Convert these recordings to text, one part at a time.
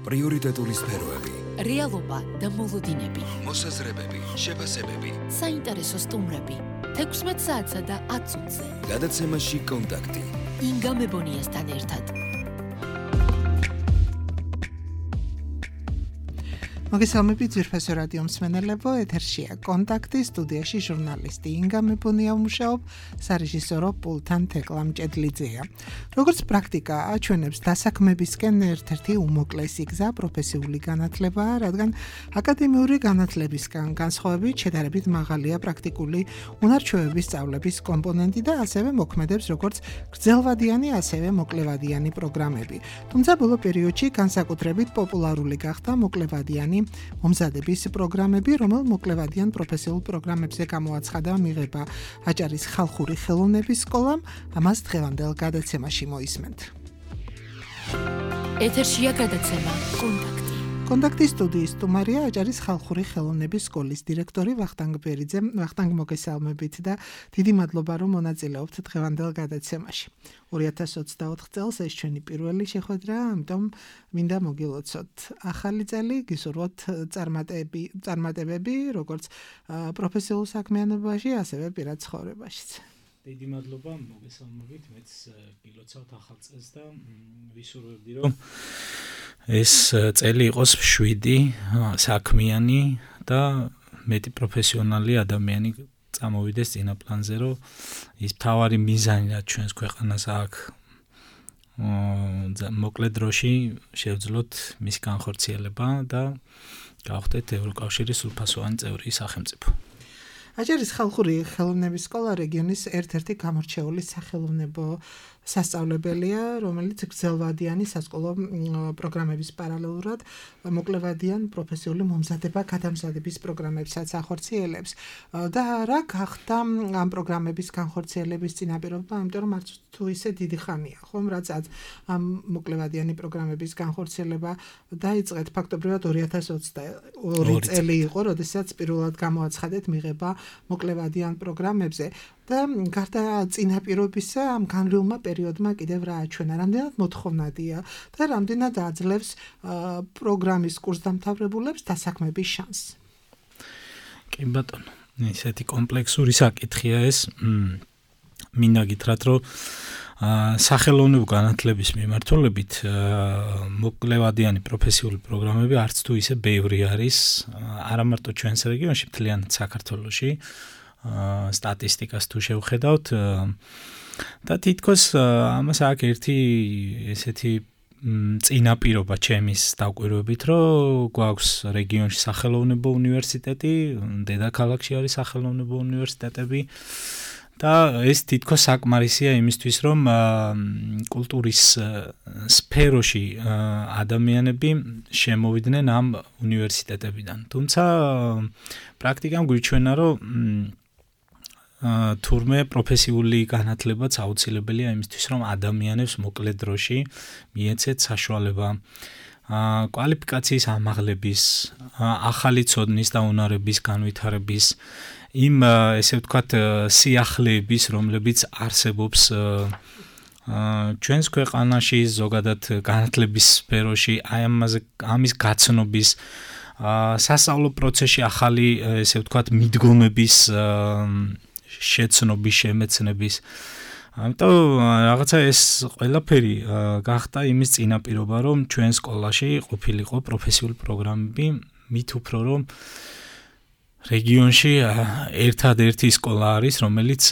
პრიორიტეტული სფეროები, რეალობა და მოლოდინები, მოსაზრებები, შეფასებები, საინტერესო სტუმრები, 16 საათსა და 10 წუთზე. გადაცემაში კონტაქტი. ინგა მებონიასთან ერთად. მოგესალმებით ძვირფასო რადიო მსმენელებო, ეთერშია კონტაქტი, სტუდიაში ჟურნალისტი ინგა მებონია მუშაობ, სარეჟისორო პულტთან თეკლა მჭედლიძეა. როგორც პრაქტიკა აჩვენებს, დასაქმებისკენ ერთ-ერთი უმოკლესი გზა პროფესიული განათლებაა, რადგან აკადემიური განათლებისგან განსხვავებით შედარებით მაღალია პრაქტიკული უნარჩვევების სწავლების კომპონენტი და ასევე მოქმედებს როგორც გრძელვადიანი, ასევე მოკლევადიანი პროგრამები. თუმცა ბოლო პერიოდში განსაკუთრებით პოპულარული გახდა მოკლევადიანი მომზადების პროგრამები, რომელ მოკლევადიან პროფესიულ პროგრამებზე გამოაცხადა მიღება აჭარის ხალხური ხელოვნების სკოლამ, ამას დღევანდელ გადაცემაში მოისმენთ. ეთერშია გადაცემა კონტაქტი. კონტაქტის სტუდიის სტუმარია აჭარის ხალხური ხელოვნების სკოლის დირექტორი ვახტანგ ბერიძე. ვახტანგ, მოგესალმებით და დიდი მადლობა, რომ მონაწილეობთ დღევანდელ გადაცემაში. 2024 წელს ეს ჩვენი პირველი შეხვედრა, ამიტომ მინდა მოგილოცოთ ახალი წელი, გისურვოთ წარმატებები, როგორც პროფესიულ საქმიანობაში, ასევე პირად ცხოვრებაშიც. დიდი მადლობა, მოგესალმებით, მეც გილოცავთ ახალ წელს და ვისურვებდი, რომ ეს წელი იყოს მშვიდი, საქმიანი და მეტი პროფესიონალი ადამიანი წამოვიდეს წინა პლანზე, რომ ის მთავარი მიზანი, რაც ჩვენს ქვეყანას აქვს, მოკლე დროში შევძლოთ მის განხორციელება და გავხდეთ ევროკავშირის სრულფასოვანი წევრი სახელმწიფო. აჭარის ხალხური ხელოვნების სკოლა რეგიონის ერთ-ერთი გამორჩეული სახელოვნებო სასწავლებელია, რომელიც გრძელვადიანი სასკოლო პროგრამების პარალელურად მოკლევადიან პროფესიული მომზადება გადამზადების პროგრამებსაც ახორციელებს. და რა გახდა ამ პროგრამების განხორციელების წინაპირობა, იმიტომ რომ არც თუ ისე დიდი ხანია, ხომ, რაც ამ მოკლევადიანი პროგრამების განხორციელება დაიწყეთ ფაქტობრივად 2022 წელი იყო, როდესაც პირველად გამოაცხადეთ მიღება მოკლევადიან პროგრამებზე. და გარდა წინაპირობისა ამ განვლილმა პერიოდმა კიდევ რა აჩვენა, რამდენად მოთხოვნადია და რამდენად აძლევს პროგრამის კურსდამთავრებულებს დასაქმების შანსს. კი ბატონო, ისეთი კომპლექსური საკითხია ეს. მინდა გითხრათ, რომ სახელოვნებო განათლების მიმართულებით მოკლევადიანი პროფესიული პროგრამები არც თუ ისე ბევრი არის, არა მარტო ჩვენს რეგიონში, მთლიანად საქართველოში. სტატისტიკას თუ შევხედავთ და თითქოს ამას აქვს ერთი ესეთი წინაპირობა ჩემის დაკვირვებით, რომ გვაქვს რეგიონში სახელოვნებო უნივერსიტეტი, დედაქალაქში არის სახელოვნებო უნივერსიტეტები და ეს თითქოს საკმარისია იმისთვის, რომ კულტურის სფეროში ადამიანები შემოვიდნენ ამ უნივერსიტეტებიდან. თუმცა პრაქტიკამ გვიჩვენა, რომ თურმე პროფესიული განათლებაც აუცილებელია იმისთვის, რომ ადამიანებს მოკლე დროში მიეცეთ საშუალება კვალიფიკაციის ამაღლების, ახალი ცოდნის და უნარების განვითარების, იმ ესე ვთქვათ სიახლეების, რომლებიც არსებობს ჩვენს ქვეყანაში, ზოგადად განათლების სფეროში, ამის გაცნობის, სასწავლო პროცესში ახალი ესე ვთქვათ მიდგომების შეცნობის, შემეცნების. ამიტომ რაღაცა ეს ყველაფერი გახდა იმის წინაპირობა, რომ ჩვენ სკოლაში ყოფილიყო პროფესიული პროგრამები, მით უფრო რომ რეგიონში ერთადერთი სკოლა არის, რომელიც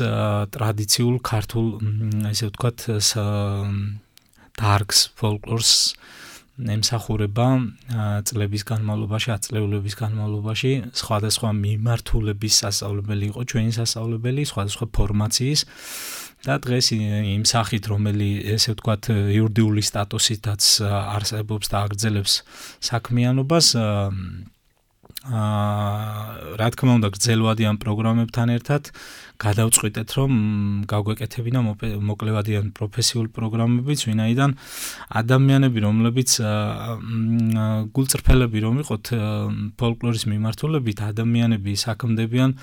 ტრადიციულ ქართულ ესე ვთქვათ დარგს, ფოლკლორს ემსახურება წლების განმავლობაში, ათწლეულების განმავლობაში, სხვადასხვა მიმართულების სასწავლებელი იყო ჩვენი სასწავლებელი, სხვადასხვა ფორმაციის და დღეს იმ სახით, რომელიც ესე ვთქვათ იურიდიული სტატუსითაც არსებობს და აგრძელებს საქმიანობას, რა თქმა უნდა, გრძელვადიან პროგრამებთან ერთად გადავწყვიტეთ, რომ გავგვეკეთებინა მოკლევადიან პროფესიულ პროგრამებიც, ვინაიდან ადამიანები, რომლებიც გულწრფელები რომ იყოთ ფოლკლორის მიმართულებით, ადამიანები საქმდებიან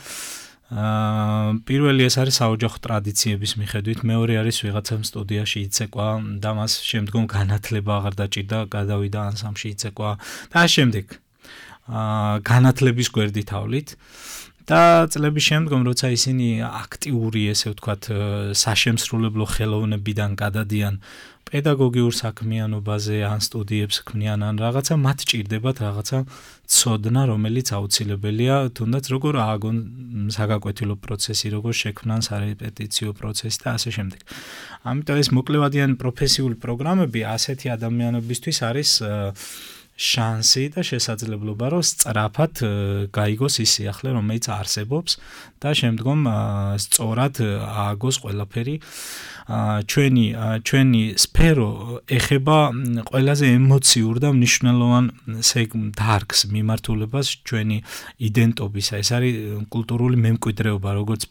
პირველი ეს არის საოჯახო ტრადიციების მიხედვით, მეორე არის ვიღაცამ სტუდიაში იცეკვა და მას შემდგომ განათლება აღარ დაჭირდა, გადავიდა ანსამბლში იცეკვა და შემდეგ განათლების გვერდითავლით და წლების შემდგომ როცა ისინი აქტიური ესე ვთქვათ საშემსრულებლო ხელოვნებიდან გადადიან პედაგოგიურ საქმიანობაზე ან სტუდიებს ქმნიან ან რაღაცა მათ ჭირდებათ რაღაცა ცოდნა რომელიც აუცილებელია თუნდაც როგორ ააგონ საგაკვეთილო პროცესი როგორ შექმნან სარეპეტიციო პროცესი და ასე შემდეგ. ამიტომ ეს მოკლევადიანი პროფესიული პროგრამები ასეთი ადამიანებისთვის არის შანსი და შესაძლებლობა რომ სწრაფად გაიგოს ის სიახლე რომელიც არსებობს და შემდგომ სწორად ააგოს ყველაფერი ჩვენი სფერო ეხება ყველაზე ემოციურ და მნიშვნელოვან დარგს მიმართულებას ჩვენი იდენტობისა ეს არის კულტურული მემკვიდრეობა როგორც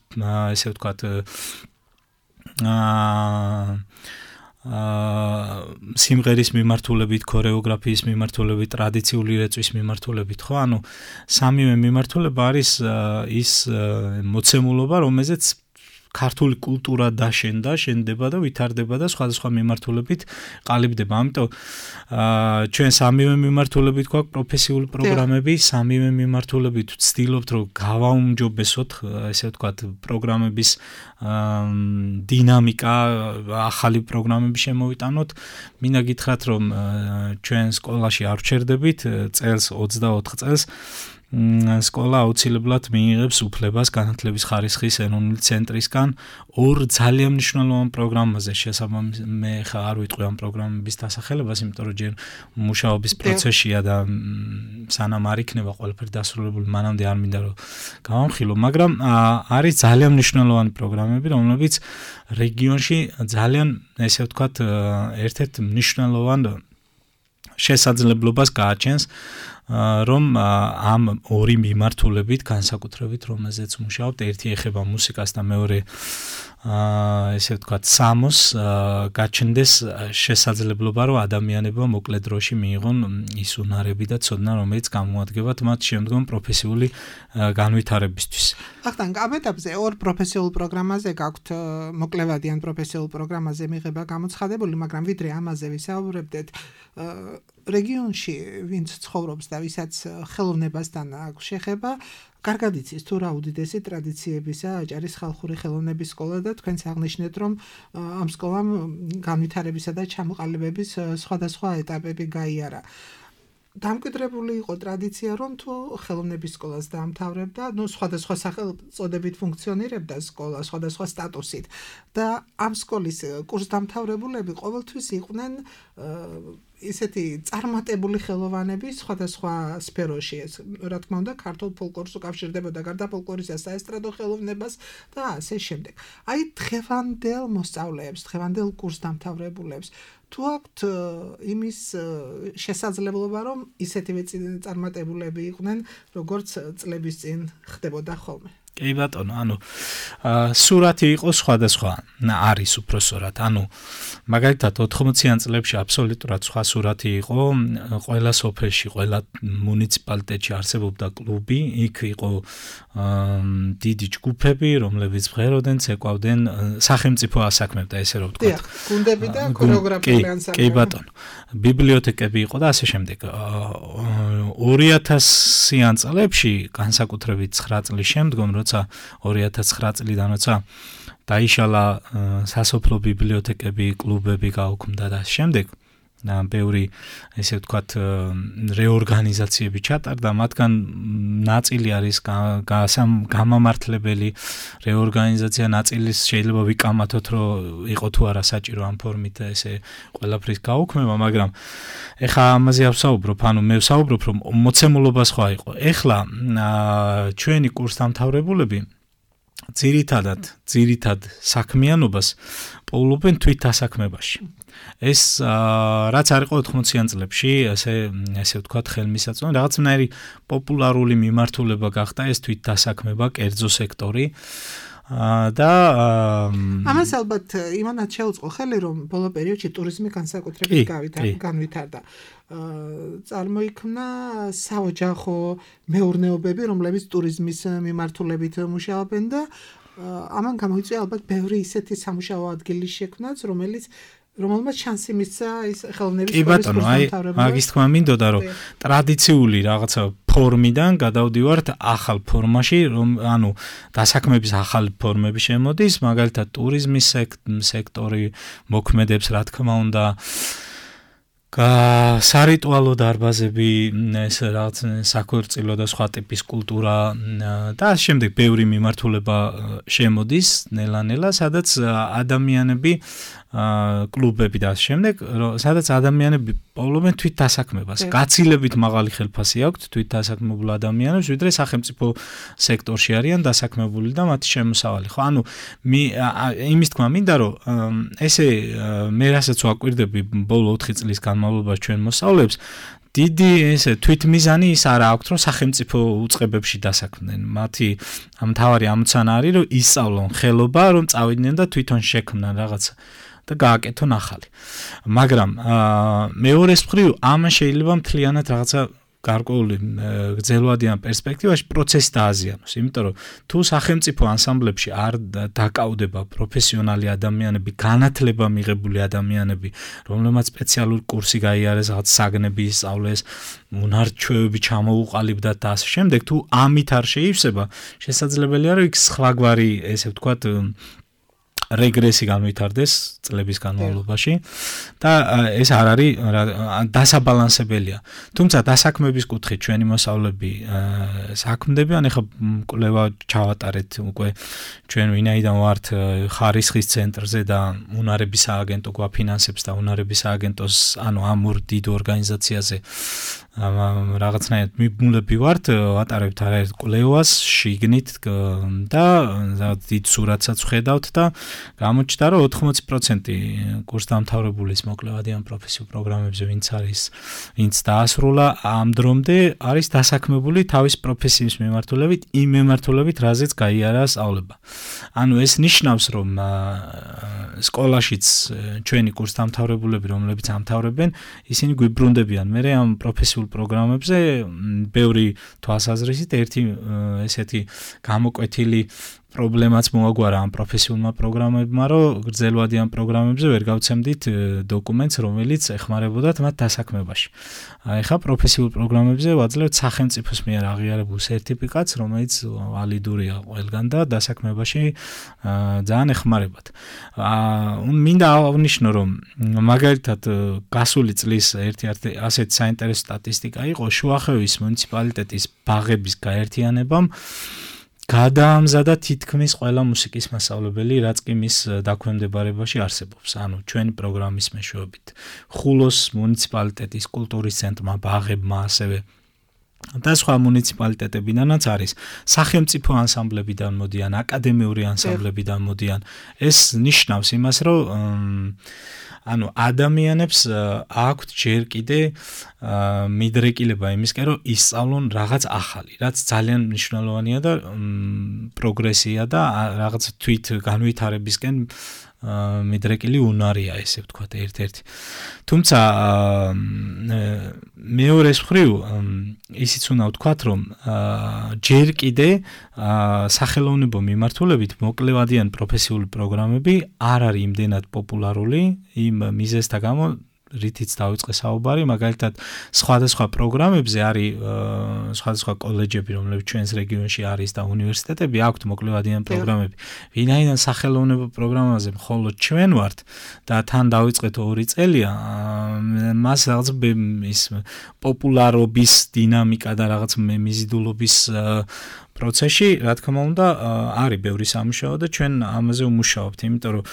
ესე ვთქვათ სიმღერის მიმართულებით, ქორეოგრაფიის მიმართულებით, ტრადიციული რეწვის მიმართულებით, ხო? ანუ სამივე მიმართულება არის ის მოცემულობა, რომელზეც ქართული კულტურა დაშენდა, შენდება და ვითარდება და სხვადასხვა მიმართულებით ყალიბდება. ამიტომ ჩვენ სამივე მიმართულებით გვაქვს პროფესიული პროგრამები, სამივე მიმართულებით ვცდილობთ რომ გავაუმჯობესოთ, ესე ვთქვათ, პროგრამების დინამიკა, ახალი პროგრამები შემოვიტანოთ. მინდა გითხრათ რომ ჩვენ სკოლაში არ ვჩერდებით, წელს 24 წელს სკოლა აუცილებლად მიიღებს უფლებას განათლების ხარისხის ეროვნული ცენტრისგან ორ ძალიან მნიშვნელოვან პროგრამაზე შესაბამისად მე ხა არ ვიტყვი ამ პროგრამების დასახელებას, იმიტომ რომ ჯერ მუშაობის პროცესია და სანამ არ იქნება ყველაფერი დასრულებული, მანამდე არ მინდა რომ გავამხილო, მაგრამ არის ძალიან მნიშვნელოვანი პროგრამები, რომლებიც რეგიონში ძალიან ესე ვთქვათ ერთ-ერთ მნიშვნელოვან შესაძლებლობას გააჩენს რომ ამ ორი მიმართულებით განსაკუთრებით რომელზეც მუშაობთ, ერთი ეხება მუსიკას და მეორე ესე ვთქვათ სამოს გაჩნდეს შესაძლებლობა რომ ადამიანებმა მოკლე დროში მიიღონ ის უნარები და ცოდნა რომელიც გამოადგებათ მათ შემდგომ პროფესიული განვითარებისთვის. ახლა ამ ეტაპზე ორ პროფესიულ პროგრამაზე გაქვთ მოკლევადიან პროფესიულ პროგრამაზე მიღება გამოცხადებული, მაგრამ ვიდრე ამაზე ვისაუბრებდეთ რეგიონში ვინც ცხოვრობს და ვისაც ხელოვნებასთან აქვს შეხება, კარგად იცის თუ რა უდიდესი ტრადიციებისა აჭარის ხალხური ხელოვნების სკოლა და თქვენც აღნიშნეთ რომ ამ სკოლამ განვითარებისა და ჩამოყალიბების სხვადასხვა ეტაპები გაიარა. დამკვიდრებული იყო ტრადიცია რომ თუ ხელოვნების სკოლას დაამთავრებდა, სხვადასხვა სახელწოდებით ფუნქციონირებდა სკოლა, სხვადასხვა სტატუსით და ამ სკოლის კურსდამთავრებულები ყოველთვის იყვნენ ისეთი წარმატებული ხელოვანები სხვადასხვა სფეროში, რა თქმა უნდა, ქართულ ფოლკლორს უკავშირდებოდა გარდა ფოლკლორისა საესტრადო ხელოვნებას და ასე შემდეგ. აი დღევანდელ მოსწავლეებს, დღევანდელ კურსდამთავრებულებს თუ აქვთ იმის შესაძლებლობა, რომ ისეთივე წარმატებულები იყვნენ, როგორც წლების წინ ხდებოდა ხოლმე. კი ბატონო, ანუ სურათი იყო სხვადასხვა, არის უпроსორად. ანუ მაგალითად 80-იან წლებში აბსოლუტურად სხვა სურათი იყო, ყველა სოფელში, ყველა მუნიციპალიტეტში არსებობდა კლუბი, იქ იყო დიდი ჯგუფები, რომლებიც მღეროდნენ, ცეკვავდნენ, სახელმწიფო ასაქმებდა, ესე რომ ვთქვათ. გუნდები და ქორეოგრაფიული ანსამბლები. კი ბატონო. ბიბლიოთეკები იყო და ასე შემდეგ. 2000-იან წლებში, განსაკუთრებით 9 წლის შემდგომ, როცა 2009 წლიდან როცა დაიშალა სასოფლო ბიბლიოთეკები, კლუბები გაუქმდა და შემდეგ ბევრი ესე ვთქვათ რეორგანიზაციები ჩატარდა, მათგან ნაწილი არის გამამართლებელი რეორგანიზაცია, ნაწილის შეიძლება ვიკამათოთ, რომ იყო თუ არა საჭირო ამ ფორმით ესე ყველაფრის გაუქმება, მაგრამ ეხლა ამაზე არ ვსაუბრობ, ანუ მე ვსაუბრობ, რომ მოცემულობა სხვა იყო. ეხლა ჩვენი კურსდამთავრებულები ძირითად საქმიანობას პოულობენ თვითდასაქმებაში. ეს რაც არ იყო 80-იან წლებში, ესე ვთქვათ, ხელმისაწვდომი, რაღაცნაირი პოპულარული მიმართულება გახდა ეს თვითდასაქმება, კერძო სექტორი. და ამას ალბათ იმანაც შეუწყო ხელი რომ ბოლო პერიოდში ტურიზმი განსაკუთრებით განვითარდა. წარმოიქმნა საოჯახო მეურნეობები, რომლებიც ტურიზმის მიმართულებით მუშაობენ და ამან გამოიწვია ალბათ ბევრი ისეთი სამუშაო ადგილი შექმნაც, რომელმაც შანსი მისცა ის ხელოვნების სკოლის კურსდამთავრებელს. მაგის თქმა მინდოდა რომ ტრადიციული რაღაცა ფორმიდან გადავდივართ ახალ ფორმაში, რომ დასაქმების ახალი ფორმები შემოდის, მაგალითად ტურიზმის სექტორი მოქმედებს, რა თქმა უნდა, სარიტუალო დარბაზები, ეს რაღაც საქორწილო და სხვა ტიპის კულტურა და ამ შემდეგ ბევრი მიმართულება შემოდის ნელა-ნელა, სადაც ადამიანები კლუბები და ამ შემდეგ, სადაც ადამიანები პოულობენ თვით დასაქმებას. გაცილებით მაღალი ხელფასი აქვთ თვით დასაქმებულ ადამიანებს, ვიდრე სახელმწიფო სექტორში არიან დასაქმებული და მათი შემოსავალი. ხო, იმის თქმა მინდა, რომ ესე მე რასაც ვაკვირდები ბოლო 4 წლის განმავლობაში ჩვენ მოსწავლეებს, დიდი ესე თვითმიზანი ის არა აქვთ, რომ სახელმწიფო უწყებებში დასაქმდნენ. მათი მთავარი ამოცანა არის, რომ ისწავლონ ხელობა, რომ წავიდნენ და თვითონ შექმნან რაღაცა და გააკეთონ ახალი. მაგრამ მეორეს მხრივ ამან შეიძლება მთლიანად რაღაცა გარკვეული გრძელვადიან პერსპექტივაში პროცესი დააზიანოს, იმიტომ რომ თუ სახელმწიფო ანსამბლებში არ დაკავდება პროფესიონალი ადამიანები, განათლება მიღებული ადამიანები, რომლებმაც სპეციალური კურსი გაიარეს, რაღაც საგნები ისწავლეს, უნარ-ჩვევები ჩამოუყალიბდათ და ასე შემდეგ, თუ ამით არ შეივსება, შესაძლებელია რომ იქ სხვაგვარი, ესე ვთქვათ, რეგრესი განვითარდეს წლების განმავლობაში და ეს არ არის დასაბალანსებელია. თუმცა დასაქმების კუთხით ჩვენი მოსწავლეები საქმდებიან, ეხლა კვლევა ჩავატარეთ უკვე ჩვენ ვინაიდან ვართ ხარისხის ცენტრზე და უნარების სააგენტო გვაფინანსებს და უნარების სააგენტოს ამ ორ დიდ ორგანიზაციაზე რაღაცნაირად მიბმულები ვართ, ვატარებთ არაერთ კვლევას შიგნით და დიდ სურათსაც ვხედავთ და გამოჩნდა რომ 80% კურსდამთავრებულის მოკლევადიან პროფესიულ პროგრამებზე ვინც დაასრულა ამ დრომდე არის დასაქმებული თავის პროფესიის მიმართულებით, იმ მიმართულებით, რაზეც გაიარა სწავლება. ეს ნიშნავს რომ სკოლაშიც ჩვენი კურსდამთავრებულები, რომლებიც ამთავრებენ, ისინი გვიბრუნდებიან მე ამ პროფესიულ პროგრამებზე ბევრი თვალსაზრისით ერთი ესეთი გამოკვეთილი პრობლემაც მოაგვარა ამ პროფესიულმა პროგრამებმა, რომ გრძელვადიან პროგრამებზე ვერ გავცემდით დოკუმენტს, რომელიც ეხმარებოდათ მათ დასაქმებაში. ეხლა პროფესიულ პროგრამებზე ვაძლევთ სახელმწიფოს მიერ აღიარებულ სერტიფიკატს, რომელიც ვალიდურია ყველგან და დასაქმებაში ძალიან ეხმარებათ. მინდა აღნიშნო, რომ მაგალითად გასული წლის ერთ-ერთი ასეთი საინტერესო სტატისტიკა იყო შუახევის მუნიციპალიტეტის ბაღების გაერთიანებამ გადაამზადა თითქმის ყველა მუსიკის მასწავლებელი, რაც კი მის დაქვემდებარებაში არსებობს. ჩვენი პროგრამის მეშვეობით. ხულოს მუნიციპალიტეტის კულტურის ცენტრმა, ბაღებმა, ასევე და სხვა მუნიციპალიტეტებიდანაც არის სახელმწიფო ანსამბლებიდან მოდიან, აკადემიური ანსამბლებიდან მოდიან. ეს ნიშნავს იმას, რომ ადამიანებს აქვთ ჯერ კიდე მიდრეკილება იმისკენ, რომ ისწავლონ რაღაც ახალი, რაც ძალიან მნიშვნელოვანია და პროგრესია და რაღაც თვით განვითარებისკენ მიდრეკილი უნარია, ესე ვთქვათ, ერთ-ერთი. თუმცა მეორეს მხრივ ისიც უნდა ვთქვათ, რომ ჯერ კიდე სახელოვნებო მიმართულებით მოკლევადიან პროფესიული პროგრამები არ არის იმდენად პოპულარული იმ მიზეზთა გამო, რითიც დავიწყე საუბარი, მაგალითად სხვადასხვა პროგრამებზე არის სხვადასხვა კოლეჯები, რომლებიც ჩვენს რეგიონში არის და უნივერსიტეტები აქვთ მოკლევადიან პროგრამები. ვინაიდან სახელოვნებო პროგრამაზე მხოლოდ ჩვენ ვართ და თან დავიწყეთ 2 წელია, მას რაღაც ის პოპულარობის დინამიკა და რაღაც მიზიდულობის პროცესში, რა თქმა უნდა, არის ბევრი სამუშაო და ჩვენ ამაზე ვმუშაობთ, იმიტომ რომ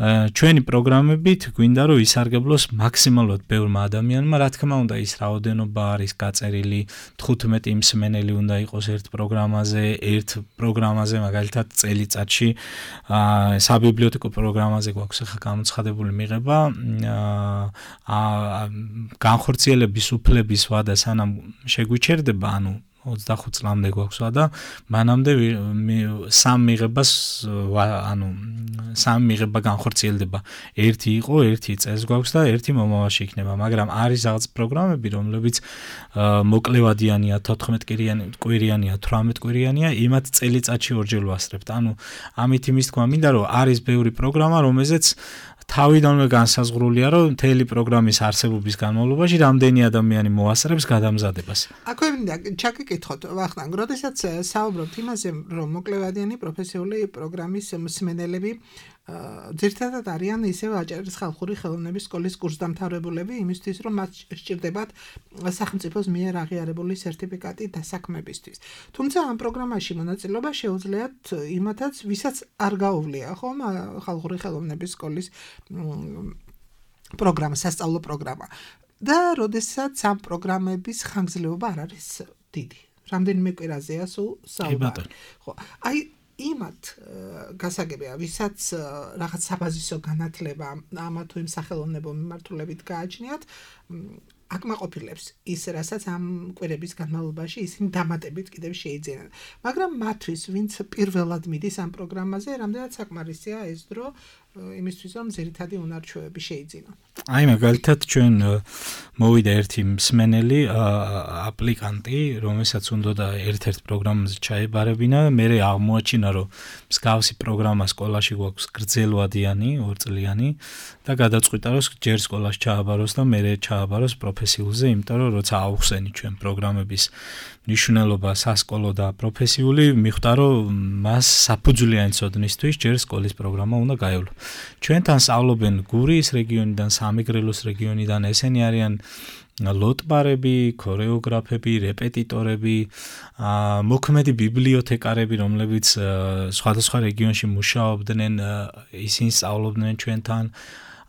ჩვენი პროგრამებით გვინდა რომ ისარგებლოს მაქსიმალურად ბევრმა ადამიანმა, რა თქმა უნდა ის რაოდენობა არის გაწერილი 15 მსმენელი უნდა იყოს ერთ პროგრამაზე, მაგალითად წელიწადში საბიბლიოთეკო პროგრამაზე გვაქვს ახლა გამოცხადებული მიღება, განხორციელების უფლების ვადა სანამ შეგვიჩერდება, 25 წლამდე გვაქვს და მანამდე სამ მიღება განხორციელდება. ერთი იყო, ერთი წელს გვაქვს და ერთი მომავალში იქნება, მაგრამ არის რაღაც პროგრამები, რომლებიც მოკლევადიანია, 14 კვირიანია, 18 კვირიანია, იმათ წელიწადში ორჯერ ვასწრებთ. ამით იმის თქვა მინდა, რომ არის ბევრი პროგრამა, რომელზეც თავიდანვე განსაზღვრულია, რომ მთელი პროგრამის არსებობის განმავლობაში რამდენი ადამიანი მოასწრებს გადამზადებას. აქვე მინდა ჩაგიკითხოთ, ვახტანგ, როდესაც საუბრობთ იმაზე, რომ მოკლევადიანი პროფესიული პროგრამის მსმენელები ძირითადად არიან ისევ აჭარის ხალხური ხელოვნების სკოლის კურსდამთავრებულები, იმისთვის, რომ მათ სჭირდებათ სახელმწიფოს მიერ აღიარებული სერტიფიკატი დასაქმებისთვის. თუმცა ამ პროგრამაში მონაწილეობა შეუძლიათ იმათაც, ვისაც არ გაუვლია, ხომ, ხალხური ხელოვნების სკოლის პროგრამა, სასწავლო პროგრამა. და როდესაც ამ პროგრამების ხანგრძლივობა არ არის დიდი. რამდენიმე კვირაზეა სულ საუბარი. ხო, აი იმათ გასაგებია, ვისაც რაღაც საბაზისო განათლება ამა თუ იმ სახელოვნებო მიმართულებით გააჩნიათ, აკმაყოფილებს ის, რასაც ამ კვირების განმავლობაში ისინი დამატებით კიდევ შეიძინენ. მაგრამ მათთვის, ვინც პირველად მიდის ამ პროგრამაზე, რამდენად საკმარისია ეს დრო იმისთვის, რომ ძირითადი უნარჩვევები შეიძინონ. აი მაგალითად ჩვენ მოვიდა ერთი მსმენელი აპლიკანტი, რომელსაც უნდოდა ერთ-ერთ პროგრამაზე ჩაებარებინა, მე აღმოაჩინა, რომ მსგავსი პროგრამა სკოლაში გვაქვს გრძელვადიანი, 2 წლიანი და გადაწყვიტა, რომ ჯერ სკოლაში ჩააბაროს და მე ჩააბაროს პროფესიულზე, იმიტომ რომ როცა ავხსენი ჩვენ პროგრამების მნიშვნელობა სასკოლო და პროფესიული, მიხვდა, რომ მას საფუძვლიანი ცოდნისთვის ჯერ სკოლის პროგრამა უნდა გაევლო. ჩვენთან სწავლობენ გურიის რეგიონიდან, სამეგრელოს რეგიონიდან, ესენი არიან ლოტბარები, ქორეოგრაფები, რეპეტიტორები, მოქმედი ბიბლიოთეკარები, რომლებიც სხვადასხვა რეგიონში მუშაობდნენ, ისინი სწავლობდნენ ჩვენთან.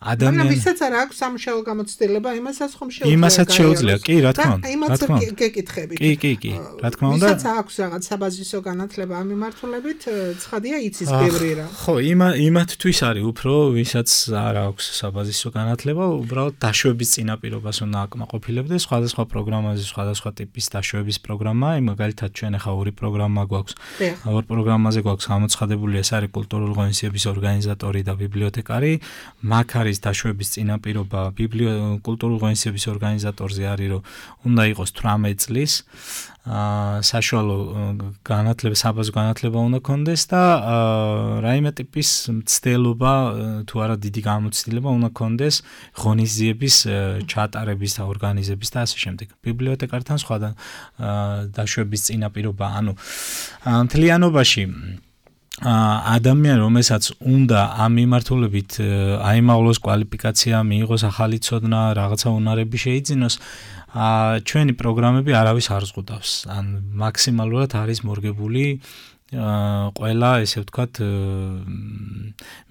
მაგრამ ვისაც არ აქვს სამუშაო გამოცდილება, იმასაც ხომ შეუძლია. იმასაც შეუძლია, კი, რა თქმა უნდა. იმასაც გეკითხებით. კი, რა თქმა უნდა. ვისაც აქვს რაღაც საბაზისო განათლება ამ მიმართულებით, ცხადია იცის ბევრი რა. ხო, იმათთვის არის უფრო, ვისაც არ აქვს საბაზისო განათლება, უბრალოდ დაშვების წინაპირობას უნდა აკმაყოფილებდეს, სხვადასხვა პროგრამაზე, სხვადასხვა ტიპის დაშვების პროგრამა, მაგალითად ჩვენ ახლა ორი პროგრამა გვაქვს. ორ პროგრამაზე გვაქვს გამოცხადებული, ეს არის კულტურული ღონისძიების ორგანიზატორი და ბიბლიოთეკარი, მაგ არის დაშვების წინაპირობა კულტურული ღონისძიების ორგანიზატორზე არის, რომ უნდა იყოს 18 წლის საშუალო განათლება, საბაზო განათლება უნდა კონდეს და რაიმე ტიპის მცდელობა თუ არა დიდი გამოცდილება უნდა კონდეს ღონისძიების ჩატარების და ორგანიზების და ასე შემდეგ. ბიბლიოთეკართან სხვა დაშვების წინაპირობა, მთლიანობაში ადამიან, რომელსაც უნდა ამ მიმართულებით აიმაღლოს კვალიფიკაცია, მიიღოს ახალი ცოდნა, რაღაცა უნარები შეიძინოს, ჩვენი პროგრამები არავის არ ზღუდავს. ან მაქსიმალურად არის მორგებული ყველა, ესე ვთქვათ,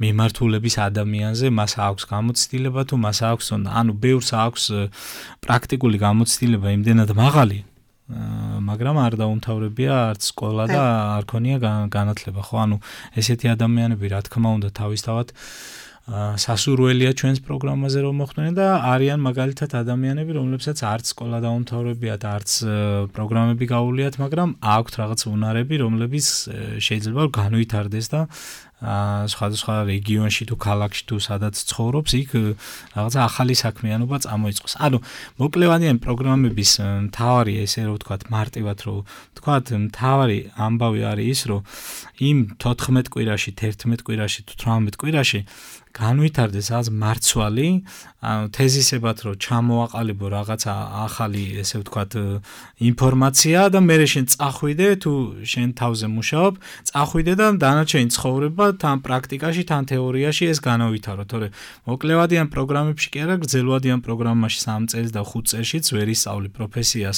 მიმართულების ადამიანზე, მას აქვს გამოცდილება თუ მას აქვს, ბევრს აქვს პრაქტიკული გამოცდილება იმდენად მაღალი, მაგრამ არ დაუმთავრებია არც სკოლა და არ ქონია განათლება, ხო? ესეთი ადამიანები, რა თქმა უნდა, თავისთავად სასურველია ჩვენს პროგრამაზე რომ მოხვდნენ და არიან მაგალითად ადამიანები, რომლებსაც არც სკოლა დაუმთავრებიათ, არც პროგრამები გაუვლიათ, მაგრამ აქვთ რაღაც უნარები, რომლებიც შეიძლება განვითარდეს და სხვადასხვა რეგიონში თუ ქალაქში თუ სადაც ცხოვრობს, იქ რაღაცა ახალი საქმიანობა წამოიწყოს. მოკლევადიანი პროგრამების მთავარი, ესე რომ ვთქვათ, მარტივად რომ ვთქვათ, მთავარი ამბავი არის ის, რომ იმ 14 კვირაში, 11 კვირაში თუ 18 კვირაში განვითარდეს რაღაც მარცვალი, თეზისებად რომ ჩამოაყალიბო რაღაცა ახალი, ესე ვთქვათ, ინფორმაცია და მე შენ წახვიდე თუ შენ თავზე მუშაობ, წახვიდე და დანარჩენი ცხოვრება თან პრაქტიკაში, თან თეორიაში ეს განავითარო, თორე მოკლევადიან პროგრამებში კი არა, გრძელვადიან პროგრამაში 3 წელს და 5 წელშიც ვერ ისწავლი პროფესიას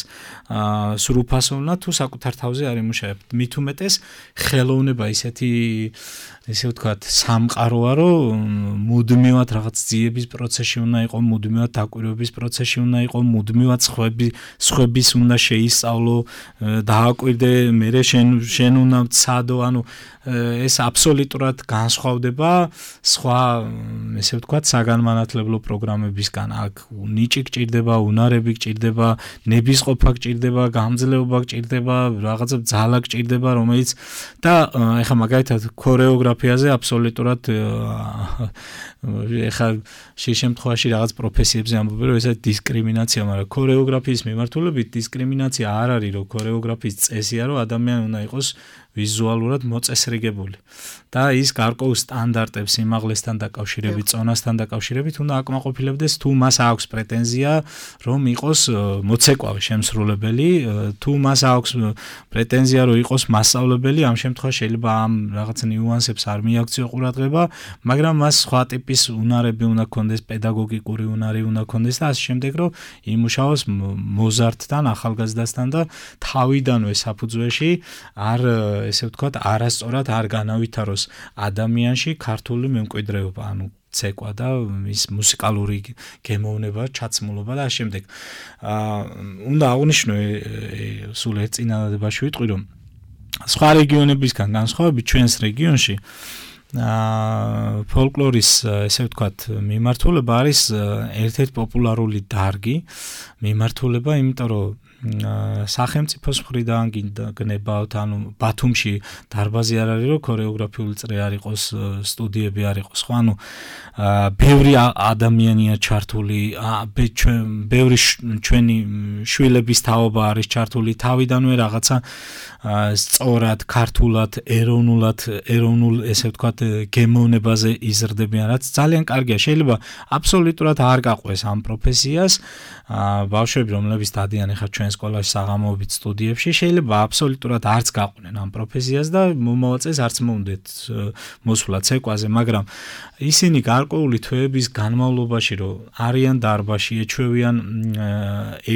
სრულფასოვნად თუ საკუთარ თავზე არ იმუშავებ. მით უმეტეს ხელოვნება ისეთი, ესე ვთქვათ, სამყაროა, რომ მუდმივად რაღაც ძიების პროცესში უნდა იყო, მუდმივად დაკვირვების პროცესში უნდა იყო, მუდმივად სხვების უნდა შეისწავლო, დააკვირდე, მერე შენ უნდა ვცადო, ეს აბსოლუტურად აბსოლუტურად განსხვავდება სხვა, ესე ვთქვათ, საგანმანათლებლო პროგრამებისგან. აქ ნიჭი გჭირდება, უნარები გჭირდება, ნებისყოფა გჭირდება, გამძლეობა გჭირდება, რაღაცა ძალა გჭირდება, რომელიც და ეხლა მაგალითად ქორეოგრაფიაზე აბსოლუტურად ეხლა შემთხვევაში რაღაც პროფესიებზე ამბობენ, რომ ესა დისკრიმინაცია, მაგრამ ქორეოგრაფიის მიმართულებით დისკრიმინაცია არ არის, რომ ქორეოგრაფიის წესია, რომ ადამიანი უნდა იყოს ვიზუალურად მოწესრიგებული და ის გარკვეულ სტანდარტებს სიმაღლესთან დაკავშირებით, წონასთან დაკავშირებით უნდა აკმაყოფილებდეს, თუ მას აქვს პრეტენზია, რომ იყოს მოცეკვავე შემსრულებელი, თუ მას აქვს პრეტენზია, რომ იყოს მასწავლებელი, ამ შემთხვევაში შეიძლება ამ რაღაც ნიუანსებს არ მიაქციო ყურადღება, მაგრამ მას სხვა ტიპის უნარები უნდა ქონდეს, პედაგოგიკური უნარი უნდა ქონდეს და ასე შემდეგ, რომ იმუშაოს მოზარდთან, ახალგაზრდასთან და თავიდანვე საფუძველში არ ესე ვთქვათ, არასწორად არ განავითაროს ადამიანში ქართული მემკვიდრეობა, ანუ ცეკვა და ის მუსიკალური გემოვნება, ჩაცმულობა და ამ შემდეგ. უნდა აღვნიშნო სულ ერთ წინადადებაში ვიტყვი, რომ სხვა რეგიონებისგან განსხვავებით ჩვენს რეგიონში ფოლკლორის ესე ვთქვათ მიმართულება არის ერთ-ერთი პოპულარული დარგი მიმართულება, იმიტომ რომ სახელმწიფოს მხრიდან გნებავთ, ანუ ბათუმში დარბაზი არ არის, რომ ქორეოგრაფიული წრე არ იყოს, სტუდიები არ იყოს, ხო, ანუ ბევრი ადამიანია ჩართული, ბევრი ჩვენი შვილების თაობა არის ჩართული, თავიდანვე რაღაცა სწორად, ქართულად, ეროვნულ, ესე ვთქვათ, გემოვნებაზე იზრდებიან, რაც ძალიან კარგია. შეიძლება აბსოლუტურად არ გაყვეს ამ პროფესიას, ბავშვები, რომლებიც დადიან ახლა ჩვენ სკოლაში საღამოობით სტუდიებში, შეიძლება აბსოლუტურად არც გაყვნენ ამ პროფესიას და მომავალ-წელს არც მოუნდეთ მოსვლა ცეკვაზე, მაგრამ ისინი გარკვეული თვეების განმავლობაში, რომ არიან დარბაზში, ეჩვევიან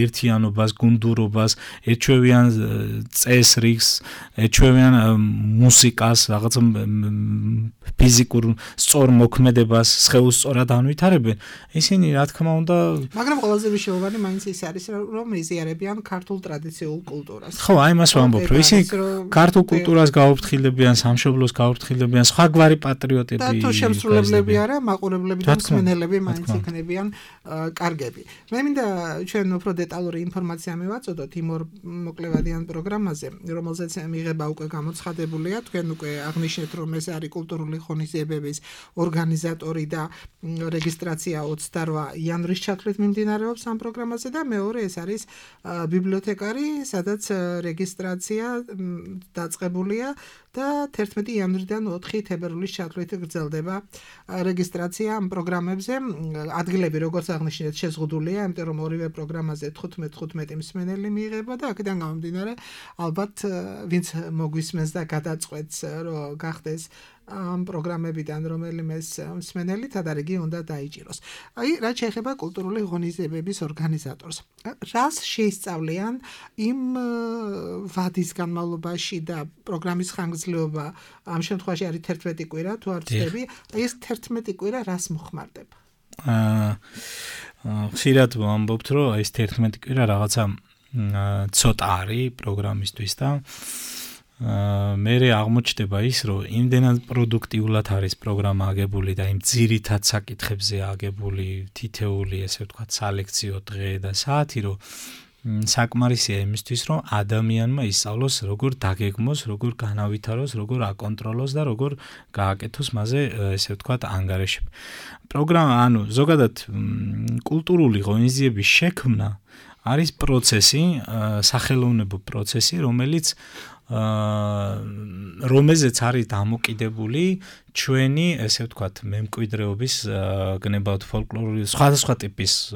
ერთიანობას, გუნდურობას, ეჩვევიან წესრიგს, ეჩვევიან მუსიკას, რაღაც ფიზიკურ სწორ მოქმედებას, სხეულს სწორად ანვითარებენ, ისინი რა თქმა უნდა, მაგრამ ყველაზე მნიშვნელოვანი მაინც ის არის, რომ იზიარებიან ქართულ ტრადიციულ კულტურას. ხო, აი მას ვამბობ, რომ ისინი ქართულ კულტურას გაუფრთხილებიან, სამშობლოს გაუფრთხილებიან, სხვაგვარი პატრიოტები. და თუ შემსრულებლები არა, მაყურებლები და მსმენელები მაინც იქნებიან კარგები. მე მინდა ჩვენ უფრო დეტალური ინფორმაცია მივაწოდოთ იმ ორ მოკლევადიან პროგრამაზე, რომელზეც მიღება უკვე გამოცხადებულია, თქვენ უკვე აღნიშნეთ, რომ ეს არის კულტურული ღონისძიებების ორგანიზატორი და რეგისტრაცია 28 იანვრის ჩათვლით მიმდინარეობს ამ პროგრამაზე და მეორე ეს არის ბიბლიოთეკარი, სადაც რეგისტრაცია დაწყებულია და 11 იანვრიდან 4 თებერვლის ჩათვლით გრძელდება რეგისტრაცია ამ პროგრამებზე. ადგილები, როგორც აღნიშნეთ, შეზღუდულია, იმიტომ რომ ორივე პროგრამაზე 15 მსმენელი მიიღება და აქედან გამომდინარე, ალბათ ვინც მოგვისმენს და გადაწყვეტს, რომ გახდეს ამ პროგრამებიდან რომელიმე მსმენელი თადარიგი უნდა დაიჭიროს. აი, რაც შეეხება კულტურული ღონისძიებების ორგანიზატორს. რას შეისწავლიან იმ ვადის განმავლობაში და პროგრამის ხანგრძლივობა ამ შემთხვევაში არის 11 კვირა, თუ არ ვცდები, აი ეს 11 კვირა რას მოხმარდება? ხშირად ვამბობთ, რომ ეს 11 კვირა რაღაცა ცოტა არის პროგრამისთვის და მერე აღმოჩნდება ის, რომ იმდენად პროდუქტიულად არის პროგრამა აგებული და იმ ძირითად საკითხებზე აგებული თითეული, ესე ვთქვათ, სალექციო დღე და საათი, რომ საკმარისია იმისთვის, რომ ადამიანმა ისწავლოს, როგორ დაგეგმოს, როგორ განავითაროს, როგორ აკონტროლოს და როგორ გააკეთოს მასზე, ესე ვთქვათ, ანგარიშები. პროგრამა, ანუ ზოგადად კულტურული ღონისძიების შექმნა არის პროცესი, სახელოვნებო პროცესი, რომელიც რომელზეც არის დამოკიდებული ჩვენი, ესე ვთქვათ, მემკვიდრეობის, გნებავთ ფოლკლორული, სხვადასხვა ტიპის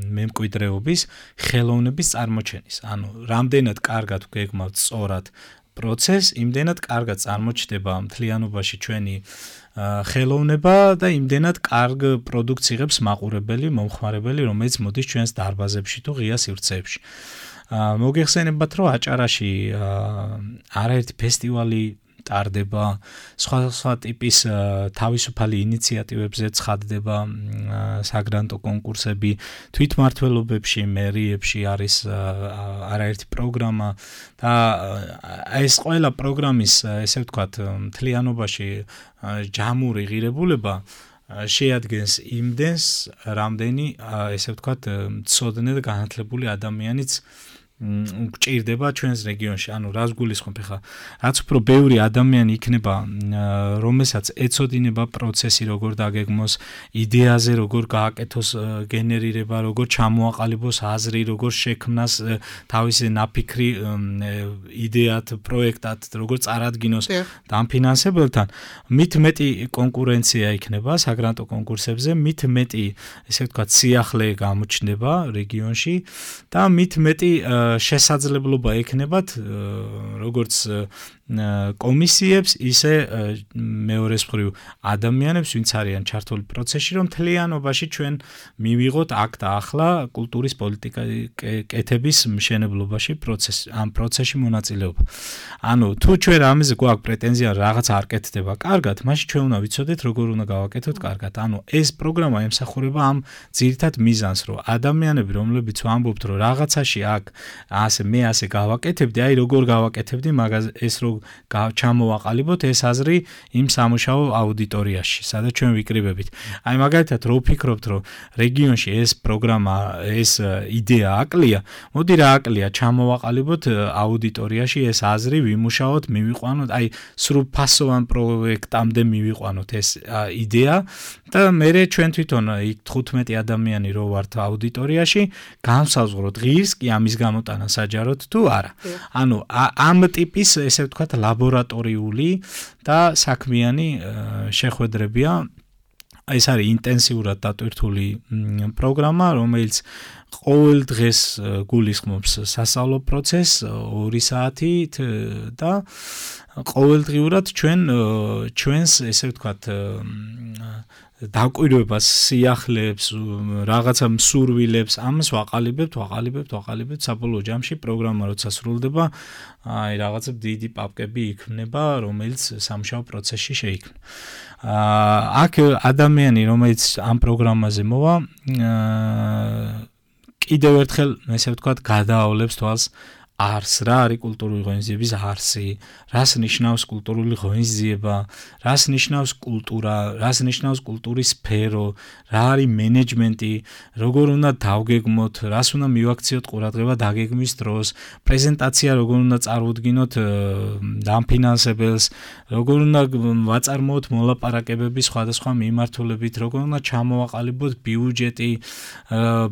მემკვიდრეობის ხელოვნების წარმოჩენის. ანუ რამდენად კარგად გეგმავთ სწორად პროცესს, იმდენად კარგად წარმოჩნდება მთლიანობაში ჩვენი ხელოვნება და იმდენად კარგ პროდუქტს იღებს მაყურებელი, მომხმარებელი, რომელიც მოდის ჩვენს დარბაზებში თუ ღია სივრცეებში. მოგეხსენებათ, რომ აჭარაში არაერთი ფესტივალი ტარდება, სხვა ტიპის თავისუფალი ინიციატივებზე ცხადდება საგრანტო კონკურსები, თვითმმართველობებში, მერიებში არის არაერთი პროგრამა და ეს ყველა პროგრამის, ესე ვთქვათ, მთლიანობაში ჯამური ღირებულება შეადგენს იმდენს, რამდენი, ესე ვთქვათ, მცოდნე და განათლებული ადამიანიც გჭირდება ჩვენს რეგიონში. ანუ რას გულისხმობ ხა? რაც უფრო ბევრი ადამიანი იქნება, რომელსაც ეცოდინება პროცესი, როგორ დაგეგმოს, იდეაზე როგორ გააკეთოს გენერირება, როგორ ჩამოაყალიბოს აზრი, როგორ შექმნას თავისი ნაფიქრი იდეად, პროექტად, როგორ წარადგინოს დამფინანსებელთან, მით მეტი კონკურენცია იქნება საგრანტო კონკურსებზე, მით მეტი, ესე ვთქვათ, სიახლე გამოჩნდება რეგიონში და მით მეტი შესაძლებლობა ექნებათ როგორც კომისიებს, ისე მეორეს მხრივ ადამიანებს, ვინც არიან ჩართული პროცესში, რომ მთლიანობაში ჩვენ მივიღოთ აქ და ახლა კულტურის პოლიტიკების მშენებლობაში ამ პროცესში მონაწილეობა. ანუ თუ ჩვენ ამაზე გვაქვს პრეტენზია რაღაც არ კეთდება კარგად, მაშინ ჩვენ უნდა ვიცოდეთ როგორ უნდა გავაკეთოთ კარგად. ანუ ეს პროგრამა ემსახურება ამ ძირითად მიზანს, რომ ადამიანები, რომლებიც ვამბობთ, რომ რაღაცაში აქ მე ასე გავაკეთებდი, აი როგორ გავაკეთებდი, მაგას ეს რო ჩამოვაყალიბოთ ეს აზრი იმ სამუშაო აუდიტორიაში, სადაც ჩვენ ვიკრიბებით. აი მაგალითად რო ვფიქრობთ, რომ რეგიონში ეს პროგრამა, ეს იდეა აკლია, მოდი რა აკლია, ჩამოვაყალიბოთ აუდიტორიაში ეს აზრი, ვიმუშაოთ, მივიყვანოთ, აი სრულფასოვან პროექტამდე მივიყვანოთ ეს იდეა და მე ჩვენ თვითონ 15 ადამიანი რო ვართ აუდიტორიაში, განსაზღვროთ ღირს კი ამის გამოტანა საჯაროდ თუ არა. ანუ ამ ტიპის, ესე ვთქვათ, ლაბორატორიული და საქმიანი შეხვედრებია. ეს არის ინტენსიურად დატვირთული პროგრამა, რომელიც ყოველ დღეს გულისხმობს სასწავლო პროცესს 2 საათით და ყოველდღიურად ჩვენს, ესე ვთქვათ, დაკვირვებას, სიახლეებს, რაღაცა მსურვილებს, ამას ვაყალიბებთ, საბოლოო ჯამში პროგრამა როცა სრულდება, აი რაღაცა დიდი პაპკები იქმნება, რომელიც სამუშაო პროცესში შეიქმნა. აქ ადამიანი, რომელიც ამ პროგრამაზე მოვა, კიდევ ერთხელ, ესე ვთქვათ, გადაავლებს თვალს არს, რა არის კულტურული ღონისძიების არსი, რას ნიშნავს კულტურული ღონისძიება, რას ნიშნავს კულტურა, რას ნიშნავს კულტურის სფერო, რა არის მენეჯმენტი, როგორ უნდა დავგეგმოთ, რას უნდა მივაქციოთ ყურადღება დაგეგმვის დროს, პრეზენტაცია როგორ უნდა წარუდგინოთ დამფინანსებელს, როგორ უნდა ვაწარმოოთ მოლაპარაკებები სხვადასხვა მიმართულებით, როგორ უნდა ჩამოვაყალიბოთ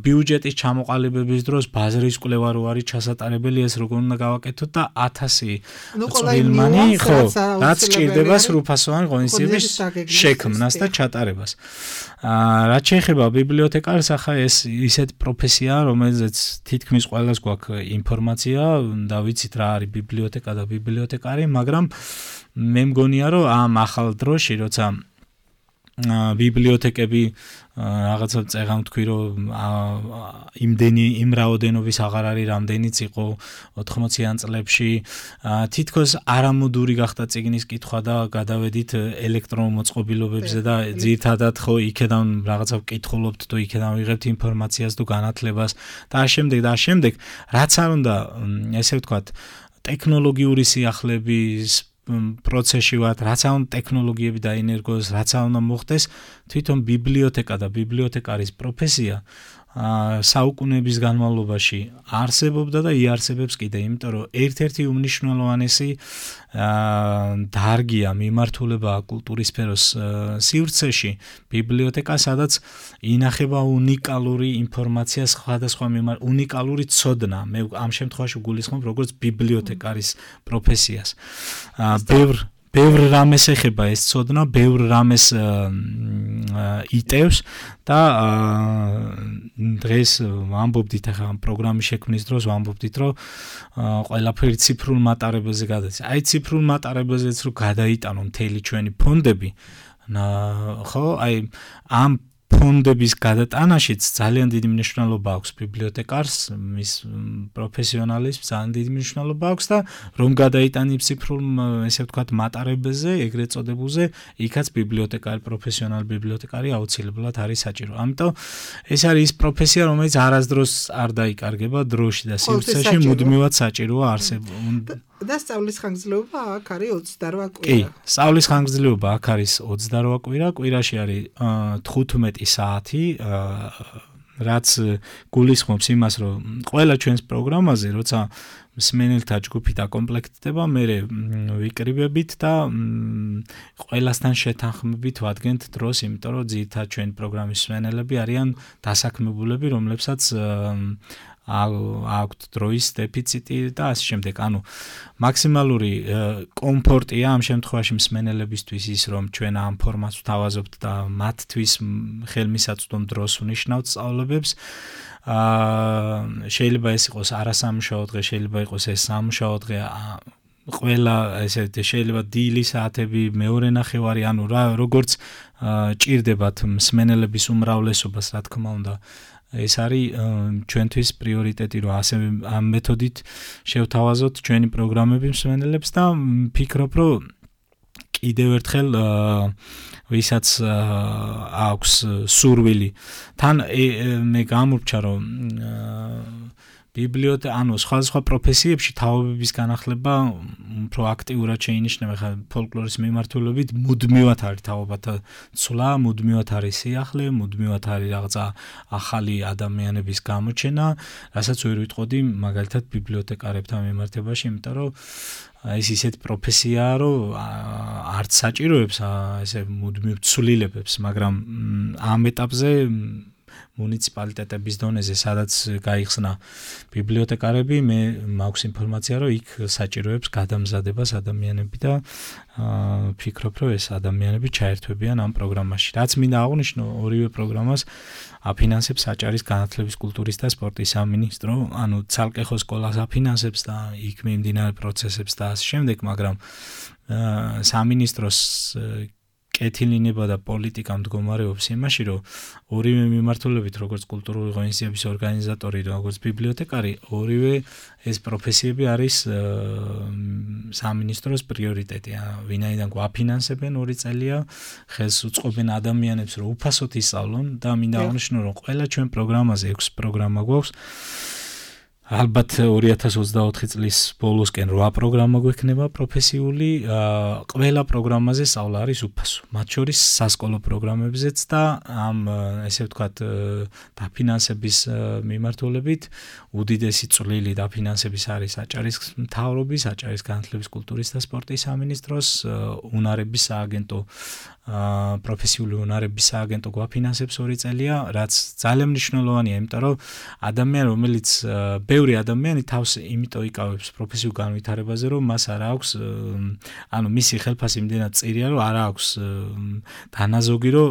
ბიუჯეტის ჩამოყალიბების დროს ბაზრის კვლევა რო არის ჩასატარებელი, ეს როგორ უნდა გავაკეთოთ და 1000 წვრილმანი, ხო, რაც სჭირდება სრულფასოვანი ღონისძიების შექმნას და ჩატარებას. რაც შეეხება ბიბლიოთეკარს, ახლა ეს ისეთ პროფესიაა, რომელზეც თითქმის ყველას გვაქვს ინფორმაცია და ვიცით რა არის ბიბლიოთეკა და ბიბლიოთეკარი, მაგრამ მე მგონია, რომ ამ ახალ დროში, როცა ბიბლიოთეკები რაღაცა წეგან თქვი, რომ იმ რაოდენობის აღარ არის, რამდენიც იყო 80-იან წლებში, თითქოს არამოდური გახდა წიგნის კითხვა და გადავედით ელექტრონულ მოწყობილობებზე და ძირითადად ხო იქედან რაღაცა ვკითხულობთ თუ იქედან ვიღებთ ინფორმაციას თუ განათლებას და ამავდროულად, რაც არ უნდა, ესე ვთქვათ, ტექნოლოგიური სიახლეების პროცესში ვართ, რაც უნდა ტექნოლოგიები დაინერგოს, რაც უნდა მოხდეს, თვითონ ბიბლიოთეკა და ბიბლიოთეკარის პროფესია საუკუნეების განმავლობაში არსებობდა და იარსებებს კიდე, იმიტომ რომ ერთ-ერთი უმნიშვნელოვანესი დარგია მიმართულება კულტურის სფეროს სივრცეში ბიბლიოთეკა, სადაც ინახება უნიკალური ინფორმაცია, სხვადასხვა უნიკალური ცოდნა. მე ამ შემთხვევაში გულისხმობ როგორც ბიბლიოთეკარის პროფესიას. ბევრ რამეს ეხება ეს ცოდნა, ბევრ რამეს იტევს და დღეს ვამბობდით, ახლა ამ პროგრამის შექმნის დროს ვამბობდით, რომ ყველაფერი ციფრულ მატარებელზე გადადის. აი ციფრულ მატარებელზეც რო გადაიტანო მთელი ჩვენი ფონდები, ხო, აი ამ ფონდების გადატანაშიც ძალიან დიდი მნიშვნელობა აქვს ბიბლიოთეკარს, მის პროფესიონალიზმს ძალიან დიდი მნიშვნელობა აქვს და რომ გადაიტანებს ციფრულ, ესე ვთქვათ, მატარებელზე, ეგრეთ წოდებულზე, იქაც ბიბლიოთეკარი, პროფესიონალი ბიბლიოთეკარი აუცილებლად არის საჭირო. ამიტომ ეს არის ის პროფესია, რომელიც არასდროს არ დაიკარგება დროში და სივრცეში, მუდმივად საჭიროა არსებობა. და სწავლის ხანგრძლივობა აქ არის 28 კვირა. კი, სწავლის ხანგრძლივობა აქ არის 28 კვირა, კვირაში არის 15 საათი, რაც გულისხმობს იმას, რომ ყველა ჩვენს პროგრამაზე, როცა მსმენელთა ჯგუფი დაკომპლექტდება, მე ვიკრიბებით და ყველასთან შეთანხმებით ვადგენთ დროს, იმიტომ რომ ძირითადად ჩვენი პროგრამის მსმენელები არიან დასაქმებულები, რომლებსაც აქვთ დროის დეფიციტი და ასე შემდეგ. ანუ მაქსიმალური კომფორტია ამ შემთხვევაში მსმენელებისთვის ის, რომ ჩვენ ამ ფორმატს ვთავაზობთ და მათთვის ხელმისაწვდომ დროს ვნიშნავთ სწავლებებს. შეიძლება ეს იყოს არასამუშაო დღე, შეიძლება იყოს ეს სამუშაო დღე, ყველა ესე შეიძლება დილის საათები, მეორე ნახევარი, ანუ როგორც ჭირდებათ მსმენელების უმრავლესობას, რა თქმა უნდა. ეს არის ჩვენთვის პრიორიტეტი, რომ ასე ამ მეთოდით შევთავაზოთ ჩვენი პროგრამები მსმენელებს და ვფიქრობ, რომ კიდევ ერთხელ ვისაც აქვს სურვილი, თან მე გამურჩა, რომ ანუ სხვადასხვა პროფესიებში თაობების განახლება უფრო აქტიურად შეინიშნება. ხა ფოლკლორის მიმართულებით მუდმივად არის თაობათა ცვლა, მუდმივად არის სიახლე, მუდმივად არის რაღაცა ახალი ადამიანების გამოჩენა, რასაც ვერ ვიტყოდი მაგალითად ბიბლიოთეკარებთან მიმართებაში, იმიტომ რომ ეს ისეთ პროფესიაა, რომ არც საჭიროებს ესე მუდმივ ცვლილებებს, მაგრამ ამ ეტაპზე მუნიციპალიტეტების დონეზე, სადაც გაიხსნა ბიბლიოთეკარები, მე მაქვს ინფორმაცია, რომ იქ საჭიროებს გადამზადებას ადამიანები და ვფიქრობ, რომ ეს ადამიანები ჩაერთვებიან ამ პროგრამაში. რაც მინდა აღვნიშნო, ორივე პროგრამას აფინანსებს საჭარის განათლების, კულტურის და სპორტის სამინისტრო, ანუ ცალკე ხო სკოლას აფინანსებს და იქ მიმდინარე პროცესებს და ასე შემდეგ, მაგრამ სამინისტროს კეთილინება და პოლიტიკა მდგომარეობს იმაში, რომ ორივე მიმართულებით, როგორც კულტურული ღონისძიების ორგანიზატორი, როგორც ბიბლიოთეკარი, ორივე ეს პროფესიები არის სამინისტროს პრიორიტეტი. ვინაიდან გვაფინანსებენ 2 წელია, ხელს უწყობენ ადამიანებს, რომ უფასოდ ისწავლონ და მინდა აღვნიშნო, რომ ყველა ჩვენ პროგრამაზე 6 პროგრამა გვაქვს. ალბათ 2024 წლის ბოლოსკენ 8 პროგრამა გვექნება პროფესიული, ყველა პროგრამაზე სწავლა არის უფასო, მათ შორის სასკოლო პროგრამებზეც და ამ ესე ვთქვათ დაფინანსების მიმართულებით უდიდესი წვლილი დაფინანსების არის საჭარის მთავრობის, საჭარის განათლების, კულტურის და სპორტის სამინისტროს, უნარების სააგენტო, პროფესიული უნარების სააგენტო გვაფინანსებს 2 წელია, რაც ძალიან მნიშვნელოვანია, იმიტომ რომ ადამიანი, რომელიც ბევრი ადამიანი თავს იმიტომ იკავებს პროფესიულ განვითარებაზე, რომ მას არ აქვს, ანუ მისი ხელფასი იმდენად წირია, რომ არ აქვს დანაზოგი, რომ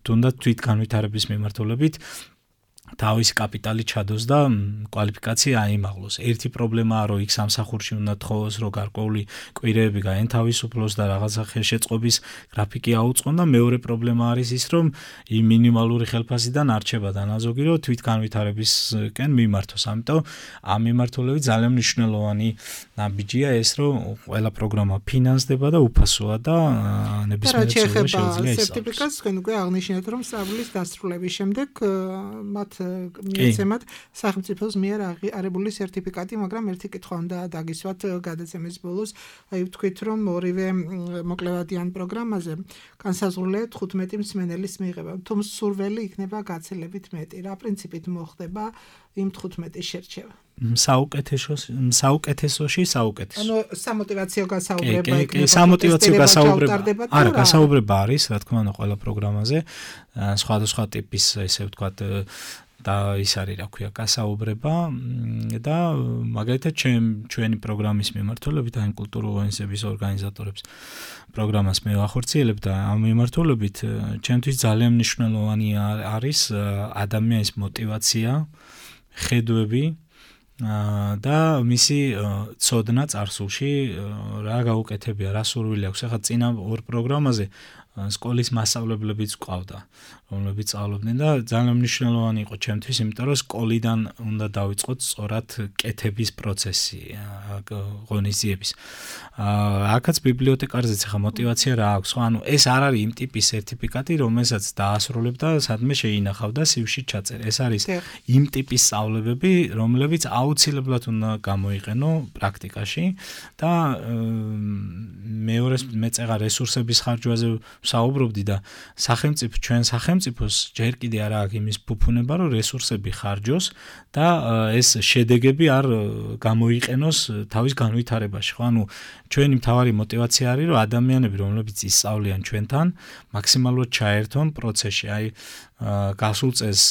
თუნდაც თვითგანვითარების მიმართულებით თავის კაპიტალი ჩადოს და კვალიფიკაცია აიმაღლოს. ერთი პრობლემაა, რომ იქ სამსახურში უნდა თხოვოს, რომ გარკვეული კვირეები გაენთავისუფლოს და რაღაცა ხელშეწყობის გრაფიკი აუწყონ და მეორე პრობლემა არის ის, რომ იმ მინიმალური ხელფასიდან არჩება დანაზოგი, რომ თვითგანვითარებისკენ მიმართოს. ამიტომ ამ მიმართულებით ძალიან მნიშვნელოვანი ნაბიჯია ეს, რომ ყველა პროგრამა ფინანსდება და უფასოა და ნებისმიერ cilvēს შეუძლია ისწავლოს. სერტიფიკატს თქვენ უკვე აღნიშნეთ, რომ სწავლის დასრულების შემდეგ მათ მიეცემათ სახელმწიფოს მიერ აღიარებული სერტიფიკატი, მაგრამ ერთი კითხვა უნდა დაგისვათ გადაცემის ბოლოს. აი ვთქვით, რომ ორივე მოკლევადიან პროგრამაზე განსაზღვრულია 15 მსმენელის მიღება. თუ მსურველი იქნება გაცილებით მეტი, რა პრინციპით მოხდება იმ 15-ის შერჩევა? საუკეთესოში საუკეთესო. ანუ სამოტივაციო გასაუბრება იქნება. სამოტივაციო გასაუბრება. არა, გასაუბრება არის, რა თქმა უნდა, ყველა პროგრამაზე. სხვადასხვა ტიპის, ესე ვთქვათ, და ის არის, რა ქვია, გასაუბრება და მაგალითად ჩვენი პროგრამის მიმართულებით, აი კულტურული ღონისძიების ორგანიზატორებს პროგრამას მე ვახორციელებ და ამ მიმართულებით ჩემთვის ძალიან მნიშვნელოვანი არის ადამიანის мотиваცია, ხედვები და მისი ცოდნა წარსულში რა გაუკეთებია, რა სურვილი აქვს. ახლა წინა ორ პროგრამაზე სკოლის მასწავლებლებიც ყავდა, რომლებიც სწავლობდნენ და ძალიან მნიშვნელოვანი იყო ჩემთვის, იმიტომ რომ სკოლიდან უნდა დავიწყოთ სწორად კეთების პროცესი, ღონისძიების. აქაც ბიბლიოთეკარზეც ახლა мотиваცია რა აქვს, ხო, ანუ ეს არ არის იმ ტიპის სერტიფიკატი, რომელსაც დაასრულებ და სადმე შეინახავ და CV-ში ჩაწერე. ეს არის იმ ტიპის სწავლებები, რომლებიც აუცილებლად უნდა გამოიყენო პრაქტიკაში და მეორე მეწეღა რესურსების ხარჯვაზე საუბრობდი და ჩვენ სახელმწიფოს ჯერ კიდე არ აქვს იმის ფუფუნება, რომ რესურსები ხარჯოს და ეს შედეგები არ გამოიყენოს თავის განვითარებაში, ხო? ანუ ჩვენი მთავარი мотиваცია არის, რომ ადამიანები, რომლებიც ისწავლიან ჩვენთან, მაქსიმალურად ჩაერთონ პროცესში. აი გასულ წელს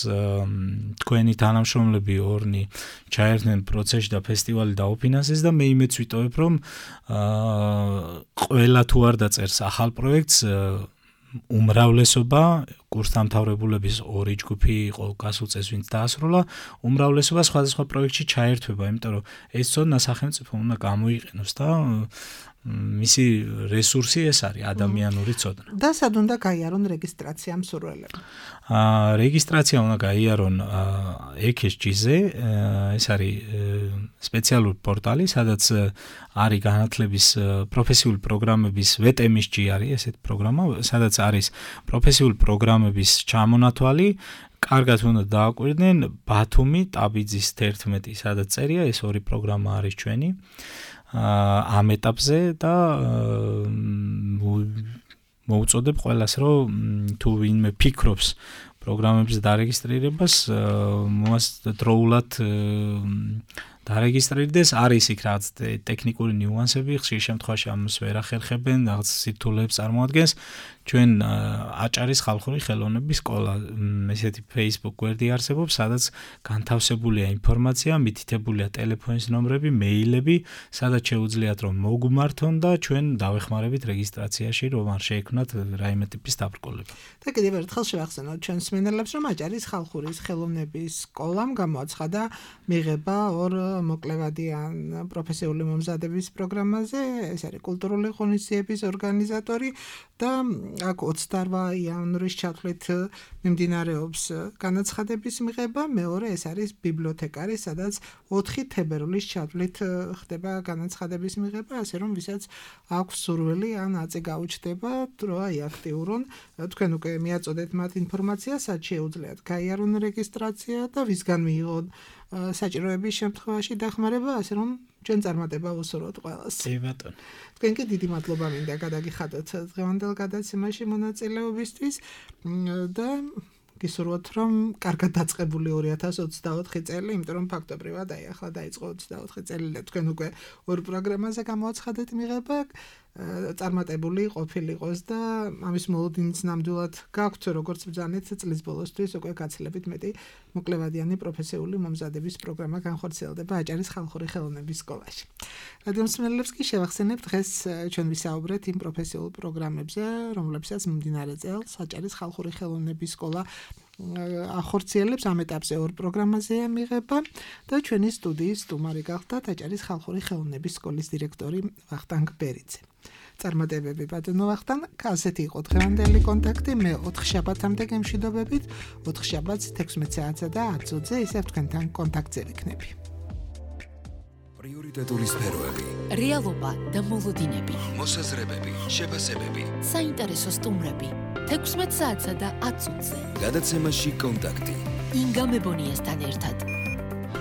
თქვენი თანამშრომლები ორნი ჩაერთნენ პროცესში და ფესტივალი დაუფინანსეს და მე იმეც ვიტოვებ, რომ ყველა თუ არ დაწერს ახალ პროექტს, უმრავლესობა კურსდამთავრებულების 2 ჯგუფი იყო გასულ წელს ვინც დაასრულა, უმრავლესობა სხვადასხვა პროექტში ჩაერთვება, იმიტომ რომ ეს ცოდნა სახელმწიფო უნდა გამოიყენოს და მისი რესურსი ეს არის ადამიანური ცოდნა. და სად უნდა გაიარონ რეგისტრაცია მსურველებმა? რეგისტრაცია უნდა გაიარონ EKSG-ზე, ეს არის სპეციალური პორტალი, სადაც არის განათლების პროფესიული პროგრამების VTMSG არის ესეთ პროგრამა, სადაც არის პროფესიული პროგრამების ჩამონათვალი. კარგად უნდა დააკვირდნენ ბათუმი, ტაბიძის 11, სადაც წერია, ეს ორი პროგრამა არის ჩვენი. ამ ეტაპზე და მოუწოდებ ყველას, რომ თუ ვინმე ფიქრობს პროგრამების დარეგისტრირებას, დროულად დარეგისტრირდეს, არის იქ რაღაც ტექნიკური ნიუანსები, ხშირ შემთხვევაში ამას ვერ ახერხებენ, რაღაც სირთულეებს წარმოადგენს. ჩვენ აჭარის ხალხური ხელოვნების სკოლა, ესეთი Facebook გვერდი არსებობს, სადაც განთავსებულია ინფორმაცია, მითითებულია ტელეფონის ნომრები, მეილები, სადაც შეუძლიათ რომ მოგმართონ და ჩვენ დავეხმარებით რეგისტრაციაში, რომ არ შეექმნათ რაიმე ტიპის დაბრკოლება. და კიდევ ერთხელ შევახსენოთ ჩვენს მსმენელებს, რომ აჭარის ხალხური ხელოვნების სკოლამ გამოაცხადა მიღება ორ მოკლევადიან პროფესიული მომზადების პროგრამაზე, ეს არის კულტურული ღონისძიების ორგანიზატორი და აქ 28 იანვრის ჩათვლით მიმდინარეობს განაცხადების მიღება, მეორე ეს არის ბიბლიოთეკარი, სადაც 4 თებერვლის ჩათვლით ხდება განაცხადების მიღება, ასე რომ ვისაც აქვს სურვილი ან აწი გაუჩნდება, დროა აქტიურონ, თქვენ უკვე მიაწოდეთ მათ ინფორმაციას, სად შეუძლიათ გაიარონ რეგისტრაცია და ვისგან მიიღონ საჭიროების შემთხვევაში დახმარება, ასე რომ ჩვენ წარმატება ვუსურვოთ ყველას. კი ბატონო. თქვენ კი დიდი მადლობა მინდა გადაგიხადოთ დღევანდელ გადაცემაში მონაწილეობისთვის და გისურვოთ, რომ კარგად დაწყებული 2024 წელი, იმიტომ რომ ფაქტობრივად აი ახლა დაიწყო 24 წელი და თქვენ უკვე ორ პროგრამაზე გამოაცხადეთ მიღება, წარმატებული ყოფილიყოს და ამის მოლოდინიც ნამდვილად გაქვთ, როგორც ბრძანეთ წლის ბოლოსთვის უკვე გაცილებით მეტი მოკლევადიანი პროფესიული მომზადების პროგრამა განხორციელდება აჭარის ხალხური ხელოვნების სკოლაში. რადიო მსმენელებს კი შევახსენებ, დღეს ჩვენ ვისაუბრეთ იმ პროფესიულ პროგრამებზე, რომლებსაც მიმდინარე წელს აჭარის ხალხური ხელოვნების სკოლა ახორციელებს, ამ ეტაპზე ორ პროგრამაზეა მიღება და ჩვენი სტუდიის სტუმარი გახდათ აჭარის ხალხური ხელოვნების სკოლის დირექტორი ვახტანგ ბერიძე. წარმატებები ბატონო ვახტანგ, ასეთი იყო დღევანდელი კონტაქტი, მე 4 შაბათამდე გემშვიდობებით, 4 შაბათს 16 საათსა და 10 წუთზე ისევ თქვენთან კონტაქტზე ვიქნები. პრიორიტეტული სფეროები, რეალობა და მოლოდინები, მოსაზრებები, შეფასებები, საინტერესო სტუმრები, 16 საათსა და 10 წუთზე. გადაცემაში კონტაქტი. ინგა მებონიასთან ერთად.